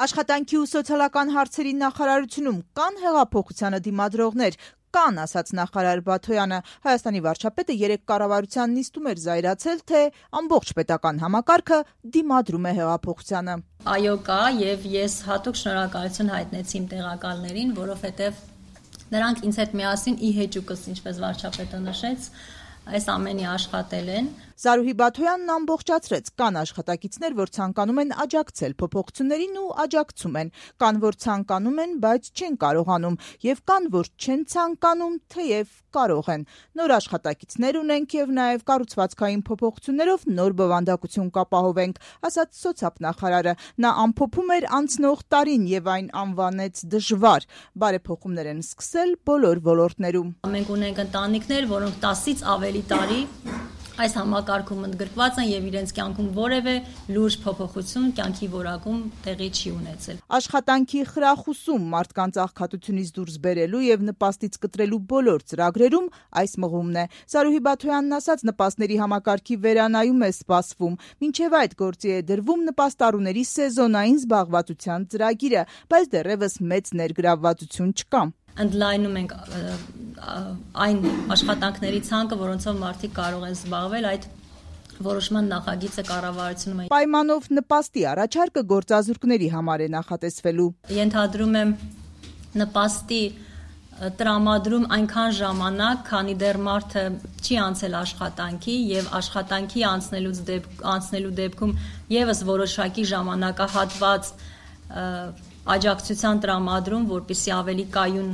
Աշխատանքի ու սոցիալական հարցերի նախարարությունում կան հեղափոխությանը դիմադրողներ, կան, ասաց նախարար Բաթոյանը։ Հայաստանի վարչապետը երեկ կառավարության նիստում էր զայրացել, թե ամբողջ պետական համակարգը դիմադրում է հեղափոխությանը։ Այո, կա, եւ ես հատուկ շնորհակալություն հայտնեցի իմ տեղակալներին, որովհետեւ նրանք ինձ հետ միասին ի հեճուկս, ինչպես վարչապետը նշեց, այս ամենի աշխատել են։ Զարուհի Բաթոյանն ամբողջացրեց, կան աշխատակիցներ, որ ցանկանում են աջակցել փոփոխություններին ու աջակցում են, կան, որ ցանկանում են, բայց չեն կարողանում, եւ կան, որ չեն ցանկանում, թեև կարող են։ Նոր աշխատակիցներ ունենք եւ նաեւ կառուցվածքային փոփոխություններով նոր բովանդակություն կապահովենք, ասաց սոցիալնախարարը։ Նա ամփոփում էր անցնող տարին եւ այն անվանեց դժվար։ Բարեփոխումներ են սկսել բոլոր ոլորտներում։ Մենք ունենք ընտանիքներ, որոնք 10-ից ավելի տարի այս համակարգում ընդգրկված են եւ իրենց կյանքում որևէ լուրջ փոփոխություն կյանքի որակում տեղի չի ունեցել։ Աշխատանքի խրախուսում, մարդկանց աղքատությունից դուրս բերելու եւ նպաստից կտրելու բոլոր ծրագրերում այս մղումն է։ Զարուհի Բաթոյանն ասաց, նպաստների համակարգի վերանայում է սպասվում։ Մինչեւ այդ գործի է դրվում նպաստառուների սեզոնային զբաղվածության ծրագիրը, բայց դեռևս մեծ ներգրավվածություն չկա։ Ընդլայնում ենք այն աշխատանքների ցանկը, որոնցով մարդիկ կարող են զբաղվել, այդ որոշման նախագիծը կառավարությունում է։ Պայմանով նպաստի առաջարկը գործազուրկների համար է նախատեսվելու։ Ենթադրում եմ նպաստի տրամադրում այնքան ժամանակ, քանի դեռ մարդը չի անցել աշխատանքի եւ աշխատանքի անցնելու դեպքում եւս որոշակի ժամանակահատված աջակցության տրամադրում, որպեսզի ավելի կայուն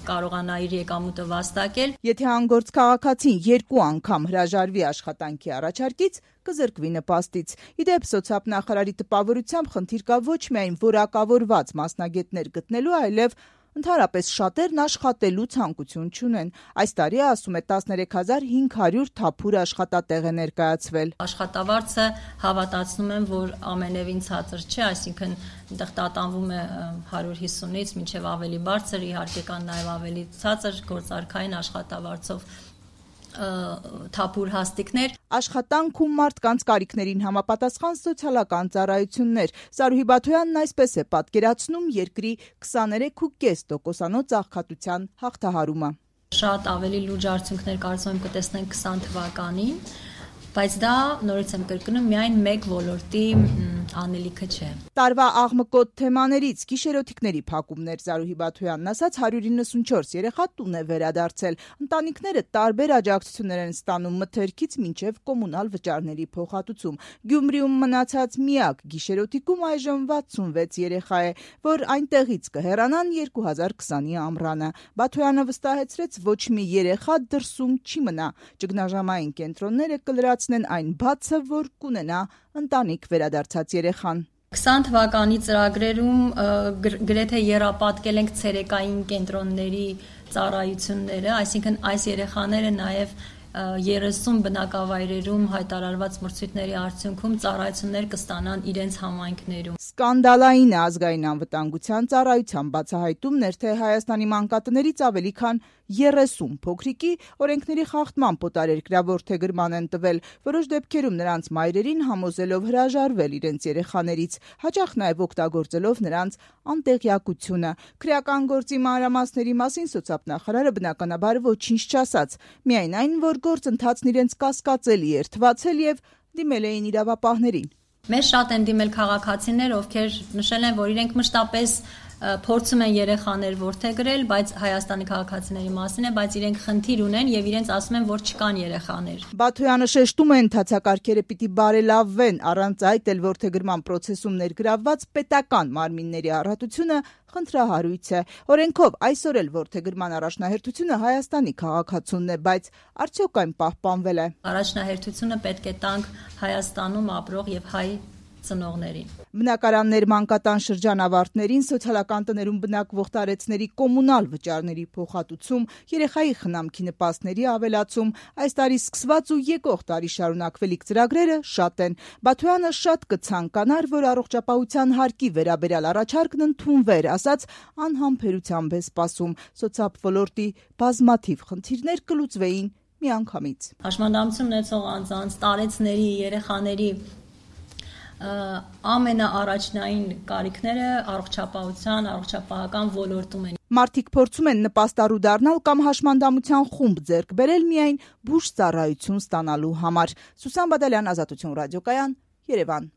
կարողանա իր եկամուտը վաստակել։ Եթե անգործ քաղաքացին 2 անգամ հրաժարվի աշխատանքի առաջարկից, կզրկվի նպաստից։ Իդեպ սոցիալնախարարի տպավորությամբ խնդիր կա ոչ միայն որակավորված մասնագետներ գտնելու, այլև ընդհանրապես շատերն աշխատելու ցանկություն չունեն։ Այս տարի, ասում է, 13500 թափուր աշխատատեղ է ներկայացվել։ Աշխատավարձը հավատացնում եմ, որ ամենևին ցածր չէ, այսինքն այնտեղ տատանվում է 150-ից մինչև ավելի բարձր, իհարկե կան նաև ավելի ցածր գործարքային աշխատավարձով թափուր հաստիկներ։ Աշխատանք ու մարդկանց կարիքներին համապատասխան սոցիալական ծառայություններ։ Զարուհի Բաթոյանն այսպես է պատկերացնում երկրի 23.5% աղքատության հաղթահարումը։ Շատ ավելի լուրջ արդյունքներ կարծում եմ կտեսնենք 20 թվականին, բայց դա նորից եմ կրկնում միայն մեկ ոլորտի անելիքը չէ։ Տարվա աղմկոտ թեմաներից գիշերօթիկների փակումներ, Զարուհի Բաթոյանն ասաց, 194 երեխա տուն է վերադարձել։ Ընտանիքները տարբեր աջակցություններ են ստանում մթերքից մինչև կոմունալ վճարների փոխհատուցում։ Գյումրիում մնացած միակ գիշերօթիկում այժմ 66 երեխա է, որ այնտեղից կհեռանան 2020-ի ամռանը։ Բաթոյանը վստահեցրեց, ոչ մի երեխա դրսում չի մնա։ Ճգնաժամային կենտրոնները կլրացնեն այն բացը, որ կունենա ընտանիք վերադարձած երեխան։ 20 թվականի ծրագրերում գրեթե եռապատկել ենք ցերեկային կենտրոնների ծառայությունները, այսինքն այս երեխաները նաև 30 բնակավայրերում հայտարարված մրցույթների արդյունքում ծառայություններ կստանան իրենց համայնքներում։ Սկանդալային է ազգային անվտանգության ծառայության բացահայտումներ, թե Հայաստանի մանկատներից ավելի քան 30 փոքրիկի օրենքների խախտման պոտարերկրյա որդեգրման են տվել, որոշ դեպքերում նրանց մայրերին համոզելով հրաժարվել իրենց երեխաներից, հաճախ նաև օգտագործելով նրանց անտեղյակությունը։ Քրեական գործի մանրամասների մասին սոցիալնախարարը բնականաբար ոչինչ չասաց, միայն այն, որ գործընթացն իրենց կասկածելի էր թվացել եւ դիմել էին իրավապահներին։ Մեզ շատ են դիմել քաղաքացիներ, ովքեր նշել են, որ իրենք մշտապես փորձում են երեխաներ որդեգրել, բայց Հայաստանի քաղաքացիների մասին է, բայց իրենք խնդիր ունեն եւ իրենց ասում են, որ չկան երեխաներ։ Բաթոյանը շեշտում է, ընթացակարգերը պիտի բարելավվեն, առանց այդ էլ որդեգրման process-ում ներգրավված պետական մարմինների առատությունը խնդրահարույց է։ Օրենքով այսօր էլ որդեգրման առաջնահերթությունը Հայաստանի քաղաքացունն է, բայց արդյոք այն պահպանվել է։ Առաջնահերթությունը պետք է տանք Հայաստանում ապրող եւ հայ ծնողներին։ Բնակարաններ մանկատան շրջանավարտներին, սոցիալական տներում բնակվող տարեցների կոմունալ վճարների փոխհատուցում, երեխայի խնամքի նպաստների ավելացում, այս տարի սկսված ու եկող տարի շարունակվելիք ծրագրերը շատ են։ Բաթոյանը շատ կցանկանար, որ առողջապահության հարկի վերաբերյալ առաջարկն ընդունվեր, ասաց անհամբերությամբ է սպասում։ Սոցիալ ոլորտի բազմաթիվ խնդիրներ կլուծվեին միանգամից։ Հաշմանդամություն ունեցող անձանց, տարեցների, երեխաների ամենաառաջնային կարիքները առողջապահական ոլորտում են։ Մարդիկ փորձում են նպաստառու դառնալ կամ հաշմանդամության խումբ ձեռք բերել միայն բուժ ծառայություն ստանալու համար։ Սուսան Բադալյան, Ազատություն ռադիոկայան, Երևան։